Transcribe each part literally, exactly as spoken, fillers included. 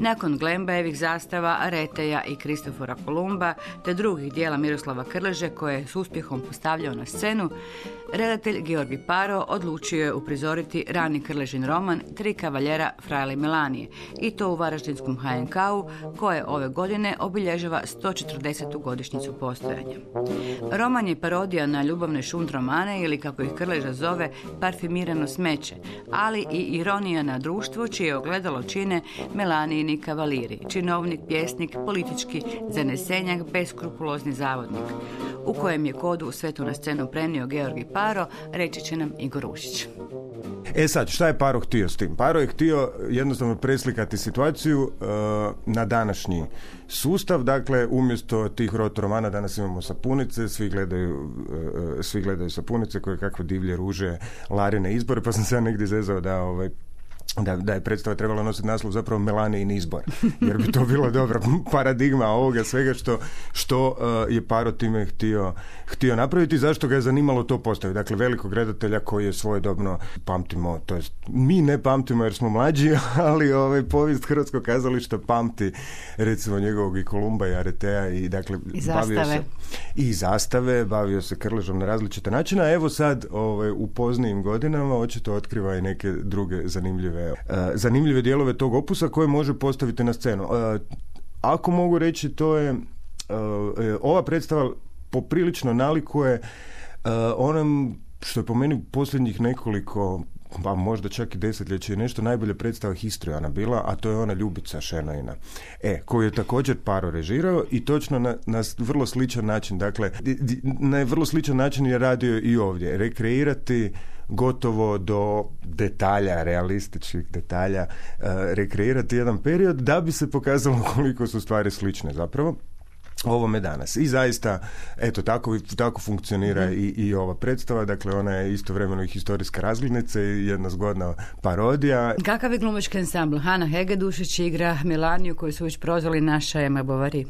Nakon Glembajevih zastava, Reteja i Kristofora Kolumba, te drugih dijela Miroslava Krleže koje je s uspjehom postavljao na scenu, redatelj Georgi Paro odlučio je uprizoriti rani Krležin roman Tri kavaljera Frajle Melanije, i to u Varaždinskom ha en ka-u koje ove godine obilježava sto četrdesetu godišnjicu postojanja. Roman je parodija na ljubavne šunt romane, ili kako ih Krleža zove, parfimirano smeće, ali i ironija na društvo čije ogledalo čine Melanijini kavaliri, činovnik, pjesnik, politički zanesenjak, beskrupulozni zavodnik, u kojem je kodu sve to na scenu prenio Georgi Paro, reći će nam Igor Ušić. E sad, šta je Paro htio s tim? Paro je htio jednostavno preslikati situaciju uh, na današnji sustav, dakle, umjesto tih rotoromana danas imamo sapunice, svi gledaju, uh, svi gledaju sapunice koje kakve divlje ruže, Larine izbore, pa sam se ja negdje zezao da ovaj Da, da je predstava trebala nositi naslov zapravo Melanijin izbor, jer bi to bila dobra paradigma ovoga svega što, što uh, je Paro time htio, htio napraviti, zašto ga je zanimalo to postaviti. Dakle, velikog redatelja koji je svojedobno, pamtimo, to jest mi ne pamtimo jer smo mlađi, ali ovaj, povijest hrvatskog kazališta pamti recimo njegovog i Kolumba i Aretea i dakle I bavio zastave. se i zastave, bavio se Krležom na različite načine, a evo sad ovaj, u poznijim godinama očito otkriva i neke druge zanimljive zanimljive dijelove tog opusa koje može postaviti na scenu. Ako mogu reći, to je ova predstava poprilično nalikuje onom što je po meni posljednjih nekoliko, pa možda čak i desetljeće i nešto, najbolja predstava Histrijana bila, a to je ona Ljubica Šenoina, e, koju je također Paro režirao i točno na, na vrlo sličan način, dakle, na vrlo sličan način je radio i ovdje, rekreirati gotovo do detalja, realističnih detalja, uh, rekreirati jedan period da bi se pokazalo koliko su stvari slične zapravo ovome danas. I zaista, eto, tako, tako funkcionira mm. i, i ova predstava, dakle ona je istovremeno i historijska razglednica i jedna zgodna parodija. Kakav je glumački ansambl? Hana Hegedušić igra Melaniju koju su već prozvali naša Ema Bovary.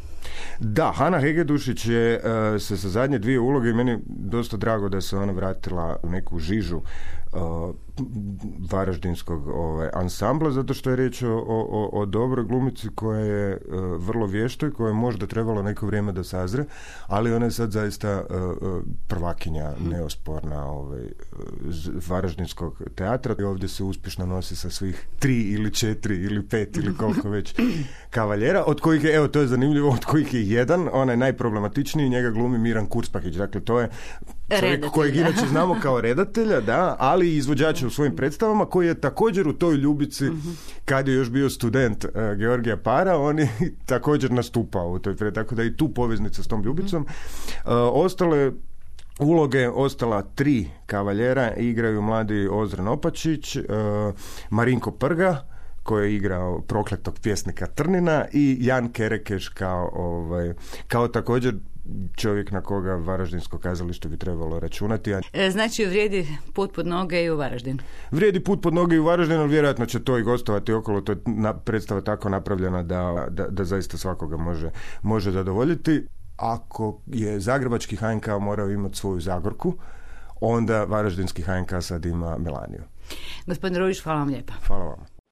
Da, Hana Hegedušić je uh, se sa zadnje dvije uloge i meni dosta drago da se ona vratila u neku žižu uh, varaždinskog ovaj, ansambla, zato što je riječ o, o, o dobroj glumici koja je uh, vrlo vješto i koja je možda trebalo neko vrijeme da sazre, ali ona je sad zaista uh, prvakinja neosporna ovaj, varaždinskog teatra i ovdje se uspješno nosi sa svih tri ili četiri ili pet ili koliko već kavaljera, od kojih je, evo to je zanimljivo, od kojih je jedan, onaj najproblematičniji, njega glumi Miran Kurspahić, dakle to je čovjek Redatelj, kojeg da. inače znamo kao redatelja, da, ali i izvođača u svojim predstavama, koji je također u toj Ljubici, uh-huh. kad je još bio student uh, Georgija Para, on je također nastupao u toj predstavi, tako da i tu poveznica s tom Ljubicom. Uh-huh. Uh, ostale uloge, ostala tri kavaljera, igraju mladi Ozren Opačić, uh, Marinko Prga, koji je igrao prokletog pjesnika Trnina, i Jan Kerekeš kao, ovaj, kao također čovjek na koga Varaždinsko kazalište bi trebalo računati. E, znači vrijedi put pod noge i u Varaždin. Vrijedi put pod noge i u Varaždinu, ali vjerojatno će to i gostovati okolo. To je na, predstava tako napravljena da, da, da zaista svakoga može, može zadovoljiti. Ako je zagrebački ha en ka morao imati svoju Zagorku, onda Varaždinski ha en ka sad ima Melaniju. Gospodin Ružić, hvala vam lijepa. Hvala vam.